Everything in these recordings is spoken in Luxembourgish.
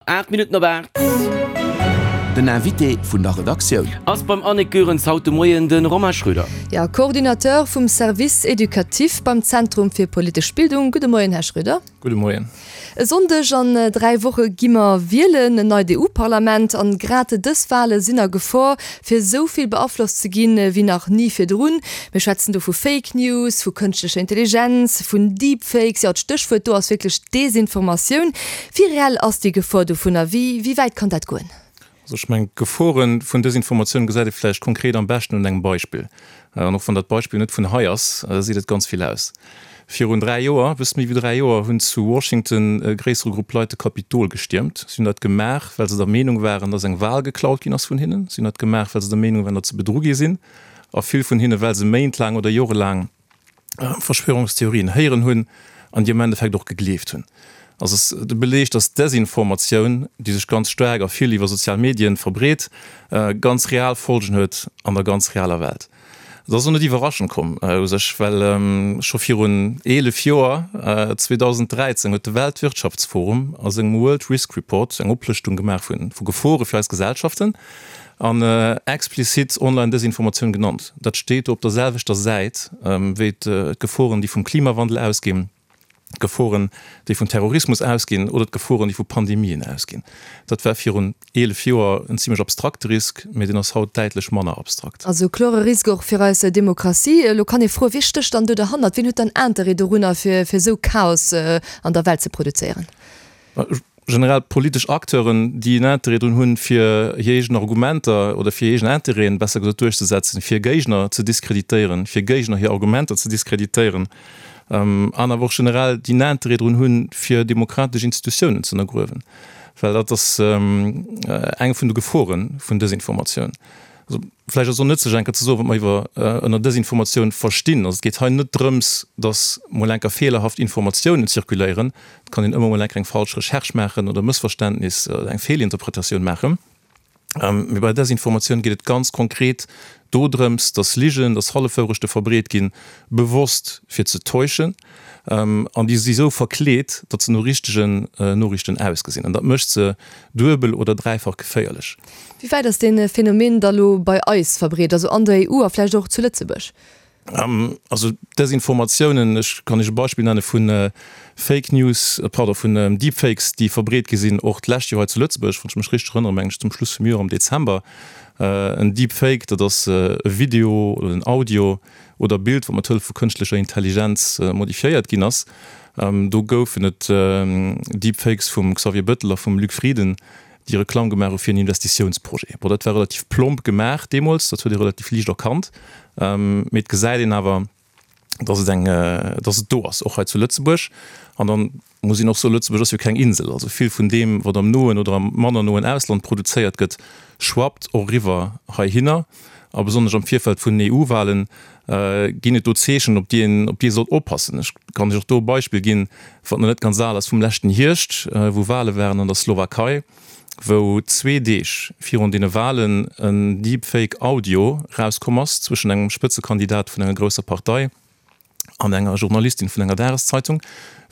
8 Minutten op 8. Den Invité vun der Redaktioun. Ass beim Annick Goerens haut de Moien de Romain Schröder. Jo, Coordinateur vum Service éducatif beim Zentrum fir politesch Bildung. Gudde Moien, Här Schröder. Gudde Moien. E Sonndeg an 3 Woche gi mer wielen, en neit EU-Parlament. An grad dës Wale sinn a Gefor, fir esou vill beaflosst ze ginn, wéi nach ni virdrun. Mir schwätzen do vu Fake News, vu kënschtlecher Intelligenz, vun Deepfakes. Jo, d'Stéchwuert do ass wierklech Desinformatioun. Wéi reell ass déi Gefor dovunner? Wéi wäit kann dat goen? Also ech mengen, d'Gefore vun Desinformatioun gesäit ee vläicht konkret am beschten un engem Beispill. An och wann dat Beispill net vun hei ass, seet et ganz vill aus. Virun 3 Joer, e bësse méi wéi 3 Joer, hunn zu Washington e gréissere Grupp Leit de Kapitol gestiermt. Si hunn dat gemaach, well se der Meenung waren, datt eng Wal geklaut ginn ass vun hinnen. Si hunn dat gemaach, well se der Meenung waren, datt se bedru gi sinn. A vill vun hinne well se méintlaang oder jorelaang Verschwörungstheorien héieren hunn an déi am Endeffekt och gegleeft hunn. Also es ass de Beleg, dass Desinformatioun, déi sech ganz staark a vill iwwer sozial Medien verbreet, ganz real Folgen huet an der ganz realer Welt. Et ass och net iwwerraschend komm u sech, well scho virun 11 Joer, 2013, huet de Weltwirtschaftsforum a sengem World Risk Report eng Oplëschtung gemaach vu Gefore fir eis Gesellschaften An explizit Online-Desinformatioun genannt. Dat steet do op der selwechter Säit wéi d'Geforen, déi vum Klimawandel ausginn, d'Geforen, déi vun Terrorismus ausginn oder d'Geforen, déi vu Pandemien ausginn. Dat war virun 11 Joer en zimlech abstrakte Risk, mee deen ass haut däitlech manner abstrakt. Also e klore Risk och fir eis Demokratie. Elo kann ee froen, Wie stécht dann do derhannert? Wien huet dann Interêt dorunner, fir esou Chaos an der Welt ze produzéieren? Generell politesch Acteuren, déi en Interêt drun hunn, fir hir eegen Argumenter oder fir hir eegen Interêten, besser gesot, duerchzesetzen, fir Géigner ze diskreditéieren, fir Géigner hir Argumenter ze diskreditéieren, an awer och generell, déi en Interêt drun hunn, fir demokratesch Institutiounen ze ënnergruewen, well dat ass eng vun de Gefore vun Desinformatioun. Also, vläicht ass och nëtzlech eng Kéier ze soen, wat mer iwwer ënner Desinformatioun verstinn. Also, et geet hei net drëms, datt mol eng Kéier feelerhaft Informatiounen zirkuléieren. Et kann een ëmmer mol eng Kéier eng falsch Recherche maachen oder e Mëssverständnis oder eng Feelinterpretatioun maachen. Mee bei der Desinformatioun geet et ganz konkret dodrëms, datt Ligen, datt Hallefwourechte verbreet ginn, bewosst fir ze täuschen. An déi si sou verkleet, datt se no richtegen Noriichten ausgesinn. An dat mécht se duebel oder dräifach geféierlech. Wéi wäit ass dee Phänomen da lo bei eis verbreet, also an der EU a vläicht och zu Lëtzebuerg? Also Desinformatiounen, ech kann Iech e Beispill nenne vu Fake News, pardon, vun Deepfakes, déi verbreet gi sinn, och d'lescht Joer hei zu Lëtzebuerg, wann ech mech richteg erënnere, mengen ech zum Schluss vum Joer am Dezember. En Deepfake, dat ass e Video oder en Audio oder Bild, wat mat Hëllef vu kënschtlecher Intelligenz modifiéiert ginn ass. Do goufen et Deepfakes vum Xavier Bettel a vum Luc Frieden, déi Reklamm gemaach hu fir en Investitiounsprojet. Bon, dat war relativ plomp gemaach deemools, dat huet ee relativ liicht erkannt, mee et gesäit een awer, dass et eng, dass et do ass, och hei zu Lëtzebuerg. An dann muss een och soen, Lëtzebuerg ass jo keng Insel. Also vill vun deem, wat am noen oder am manner noen Ausland produzéiert gëtt, schwappt och eriwwer heihinner. A besonnesch am Virfeld vun den EU-Wahlen ginn et do Zeechen, op déi een, op déi ee sollt oppassen. Ech kann lech och do e Beispill ginn, wat nach net ganz al ass, vum leschten Hierscht, wou Wahle waren an der Slowakei, wou zwee Deeg virun deene Wahlen en Deepfake-Audio erauskomm ass zwëschen engem Spëtzekandidat vun enger grousser Partei an enger Journalistin vun enger Dageszeitung,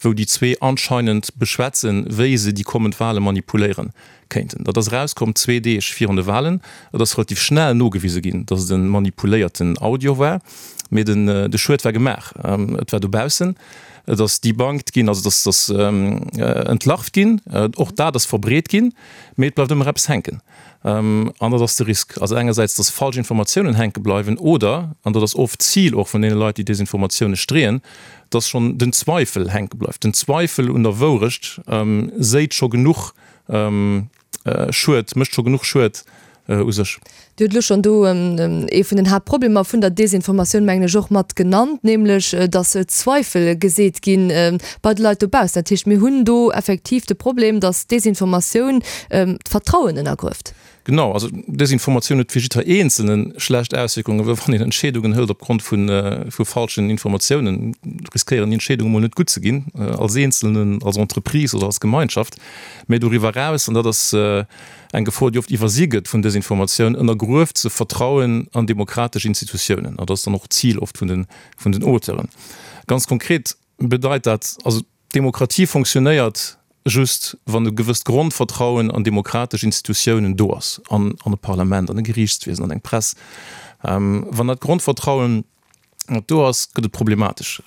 wou déi zwee anscheinend beschwätzen, wéi se déi kommend Wahle manipuléiere kéinten. Dat ass erauskomm zwee Deeg virun de Wahlen. Et ass relativ schnell nogewise ginn, datt et e manipuléierten Audio war, mee den de Schued war gemaach. Et war dobaussen, et ass debunked ginn, also et ass ass entlarvt ginn, och dat ass verbreet ginn, mee et bleift ëmmer eppes hänken. An dat ass de Risk. Also engersäits, datt falsch Informatiounen hänke bleiwen oder, an dat ass oft d'Zil och vun deene Leit, déi Desinformatioune streeën, datt schonn den Zweifel hänke bleift. Den Zweifel un der Wourecht séit scho genuch Schued, mécht scho genuch Schued u sech. Dir hutt elo schonn do ee vun den Haaptproblemer vun der Desinformatioun, mengen ech, och mat genannt, nämlech datt Zweifel geseet gi bei de Leit dobaussen. Dat heescht, mir hunn do effektiv de Problem, datt Desinformatioun d'Vertrauen ënnergrueft. Genau, also Desinformatioun huet fir jiddwer Eenzelne schlecht Auswierkungen, well wann een Entscheedungen hëlt opgrond vu falschen Informatiounen, riskéieren déi Entscheedungen emol net gutt ze ginn, als Eenzelnen, als Entreprise oder als Gemeinschaft. Mä doriwwer eraus, an dat ass eng Gefor, déi oft iwwersi gëtt vun Desinformatioun, ënnergrueft se Vertrauen an demokratesch Institutiounen. An dat ass dann och d'Zil oft vun den Auteuren. Ganz konkret bedeit dat, also d'Demokratie fonctionnéiert. just, wann e gewësst Grondvertrauen an demokratesch Institutiounen do ass, an an e Parlament, an e Geriichtswiesen, an eng Press. Wann dat Grondvertrauen net do ass, gëtt et problematesch.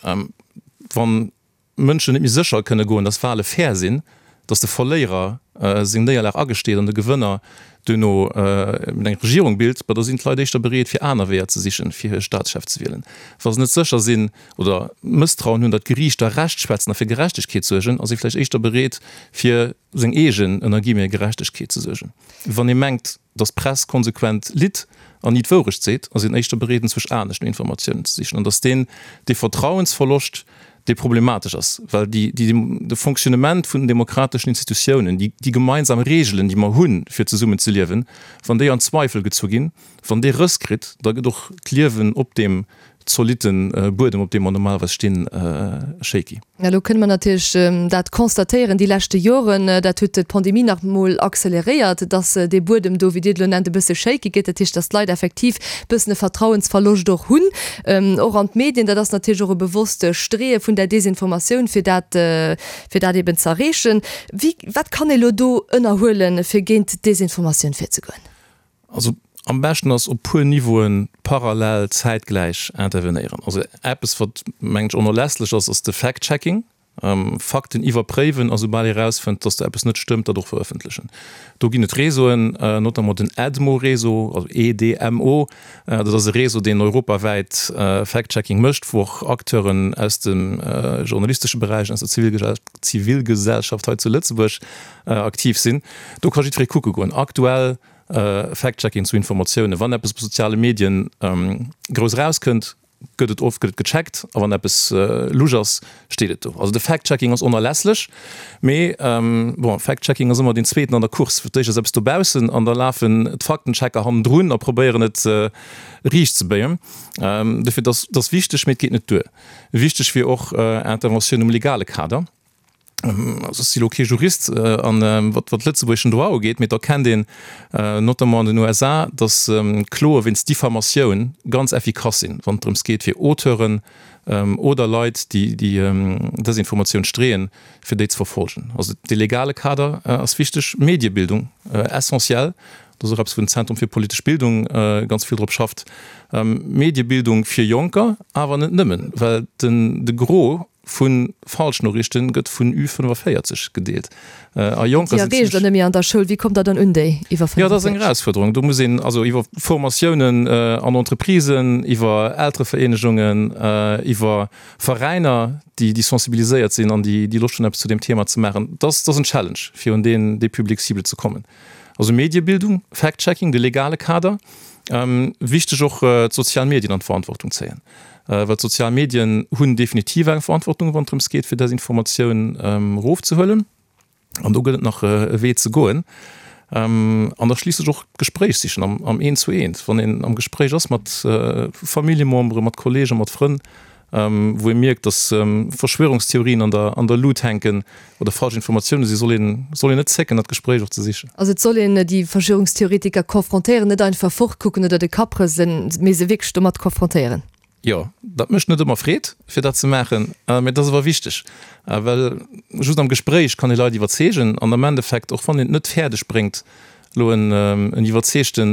Wann d'Mënschen net méi sécher kënne goen, dass Wale fair sinn, dass de Verléierer seng Néierlag agesteet an de Gewënner duerno eng Regierung bilt, ma da sinn d'Leit éischter bereet, fir aner Weeër ze sichen, fir hire Staatschef ze wielen. Wa se net sécher sinn oder Mësstrauen hunn, datt d'Geriichter Recht schwätzen a fir Gerechtegkeet suergen, ass ee vläicht éischter bereet, fir seng eegen, ënner Guillemets, Gerechtegkeet ze suergen. Wann ee mengt, datt d'Press konsequent litt an ni d'Wourecht seet, ass een éischter bereet, enzwousch anescht no Informatiounen ze sichen. An datt deen, dee Vertrauensverloscht, dee problematesch ass, well déi, déi, de Fonctionnement vun den demokrateschen Institutiounen, déi, déi gemeinsam Regeln, déi mer hunn, fir zesummen ze liewen, wann déi an Zweifel gezu ginn, wann dee Rëss kritt, da gëtt och d'Liewen op deem zolitten Buedem, op deem mer normalerweis stinn, shaky. Elo kënne mer natierlech dat constatéieren, déi leschte Joren, dat huet d'Pandemie nach emol acceleréiert, dass dee Buedem do, wéi Dir et elo nennt, e bësse shaky gëtt. Dat heescht, dass d'Leit effektiv e bëssen e Vertrauensverloscht och hunn, och an d'Medien. Dat ass natierlech och e bewosst Streeë vun der Desinformatioun, fir dat, fir dat eben ze erreechen. Wéi, wat kann ee elo do ënnerhuelen, fir géint d'Desinformatioun virzegoen? Also am beschten ass op puer Niveauen parallel, zäitgläich intervenéieren. Also eppes wat mengen ech onerlässlech ass, ass de Fact-Checking, Fakten iwwerpréiwen a soubal ee rausfënnt, datt do eppes net stëmmt, dat och verëffentlechen. Do ginn et Réseauen, notamment den EDMO-Réseau, also EDMO, dat ass e Réseau deen europawäit Fact-Checking mécht, wou och Acteuren aus dem journalistesche Beräich, aus der Zivilgesellschaft hei zu Lëtzebuerg aktiv sinn. Do ka jiddweree kucke goen. Aktuell Fact-Checking zu Informatiounen, Wann eppes op soziale Medien grouss erauskënnt, gëtt et oft gëtt et gecheckt a wann eppes lusch ass, steet et do. Also de Fact-Checking ass onerlässlech, mee bon, Fact-Checking ass ëmmer deen zweeten an der Course. Fir d'éischt ass eppes dobaussen an da lafen d'Faktenchecker hannendrun a probéieren et riicht ze béien. Dofir, dat ass wichteg, mee et geet net duer. Wichteg wier och Interventioun um legale Kader. Also ech si lo kee Jurist an wat wat lëtzebuergeschen Droit ugeet, mee et erkennt een notamment an den USA, datt Kloe wéinst Diffamatioun ganz effikass sinn, wann et drëms geet fir Auteuren oder Leit, déi déi Desinformatioun streeën, fir déi ze verfolgen. Also de legale Kader ass wichteg, Mediebildung essentiell, dat ass och eppes wou den Zentrum fir politesch Bildung ganz vill drop schafft, Mediebildung fir Jonker, awer net nëmmen, well den de Gros Vu Falschnoriichten gëtt vun Ü45 gedeelt. A Jonker sinn. Déi erreecht der net méi an der Schoul. Wéi kommt der dann un déi iwwer 45? Jo, dat ass eng Erausfuerderung. Do muss een also iwwer Formatiounen an Entreprisen, iwwer Elterevereenegungen, iwwer Veräiner, déi déi sensibiliséiert sinn an déi déi Loscht hunn eppes zu deem Thema ze maachen. Dat ass en Challenge, fir un deen dee Public cible ze kommen. Also Mediebildung, Fact-Checking, de legale Kader. Wichteg och d'sozial Medien an d'Verantwortung zéien. Well d'sozial Medien hunn definitiv eng Verantwortung, wann et drëms geet, fir Desinformatioun erofzehuelen. An do gëtt et nach e Wee ze goen. An da schliisslech och d'Gespréich sichen am, am Eent zu Eent. Wann een am Gespréich ass mat Familljemembere, mat Kolleegen, mat Frënn, wou ee mierkt, datt Verschwörungstheorien an der, an der Lut hänken oder falsch Informatiounen sinn, soll een, soll een net zécken, dat Gespréich och ze sichen. Also et soll een déi Verschwörungstheoretiker konfrontéieren, net einfach fortkucken oder de Kapp rëselen, mee se wierklech domat konfrontéieren. Jo, dat mécht net ëmmer Freed, fir dat ze maachen, mee et ass awer wichteg, well just am Gespréich kann ee Leit iwwerzeegen an am Endeffekt, och wann een et net fäerdeg bréngt, elo en iwwerzeegte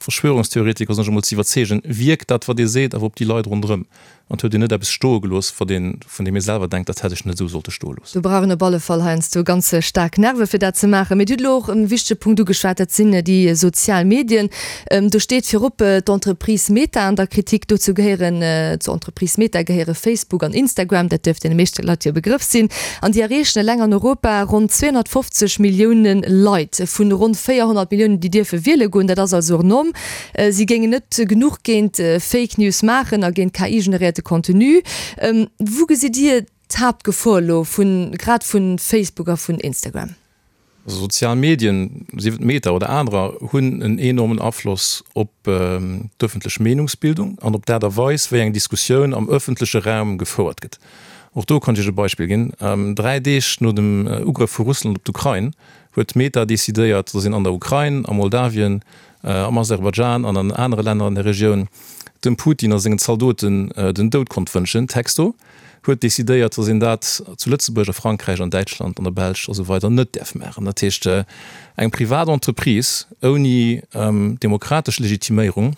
Verschwörungstheoretiker, soen ech emol, ze iwwerzeegen, wierkt dat, wat ee seet, awer op déi Leit ronderëm. An et huet een net eppes stoe gelooss, wat een, vun deem ee selwer denkt, dat hätt ech net esou sollte stoe loossen. Do brauch een op alle Fall heiansdo ganz staark Nerve fir dat ze maachen. Mee Dir hutt elo och e wichtege Punkt ugeschwat, dat sinn déi sozial Medien. Do steet virop d'Entreprise Meta an der Kritik. Dozou gehéieren, zur Entreprise Meta gehéiere Facebook an Instagram, dat dierft deene meeschte Leit jo e Begrëff sinn. An déi erreechen eleng an Europa ronn 250 Millioune Leit, vun ronn 400 Milliounen, déi dierfe wiele goen. Dat ass also enorm. Si géingen net genuch géint Fake News maachen a géint KI-generéierte Contenu. Wou gesitt Dir d'Haaptgefor elo vu grad vu Facebook a vun Instagram? Also sozial Medien, sief et Meta oder anerer, hunn en enormen Afloss op d'ëffentlech Meenungsbildung an op d'Aart a Weis, wéi eng Diskussioun am ëffentleche Raum gefouert gëtt. Och do kann ech Iech e Beispill ginn, Dräi Deeg no dem Ugrëff vu Russland op d'Ukrain huet Meta decidéiert, datt een an der Ukrain, a Moldawien, am Aserbaidschan an an anere Länner an der Regioun. Dem Putin a sengen Zaldoten den Doud konnt wënschen. Texto huet decidéiert, datt een dat zu Lëtzebuerg, a Frankräich, an Däitschland, an der Belsch a sou weider net däerf maachen. Dat heescht, eng privat Entreprise ouni demokratesch Legitiméierung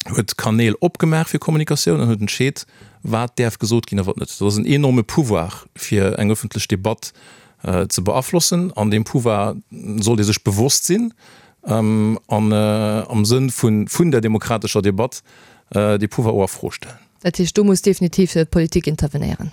huet Kanäl opgemaach fir Kommunikatioun an huet entscheet, wat däerf gesot ginn a wat net. Dat ass en enorme Pouvoir, fir eng ëffentlech Debatt ze beaflossen. An deem Pouvoir sollt ee sech bewosst sinn an am Sënn vun der demokratescher Debatt dee Pouvoir och a Fro stellen. Dat heescht, do muss definitiv d'Politik intervenéieren?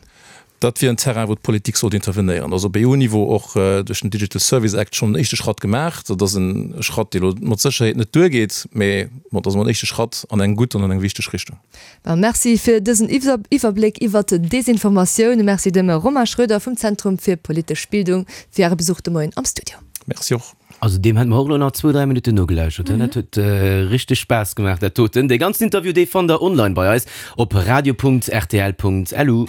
Dat wier en Terrain, wou d'Politik sollt intervenéieren. Ass op EU-Niveau och duerch den Digital Service Act schonn en éischte Schratt gemaach. Dat ass e Schratt, dee elo mat Sécherheet net duergeet, mee bon, dat ass emol en éischte Schratt an eng gutt an an eng wichteg Richtung. Merci fir dësen Iwwerbléck iwwert d'Desinformatioun. Merci dem Romain Schroeder vum Zentrum fir politesch Bildung fir Äre Besuch de Moien am Studio. Merci och. Also deem hätt mer och elo nach zwou, dräi Minutten nogelauschtert. Dat huet richteg Spaass gemaach, dat doten. Dee ganzen Interview, dee fannt der online bei eis op radio.rtl.lu.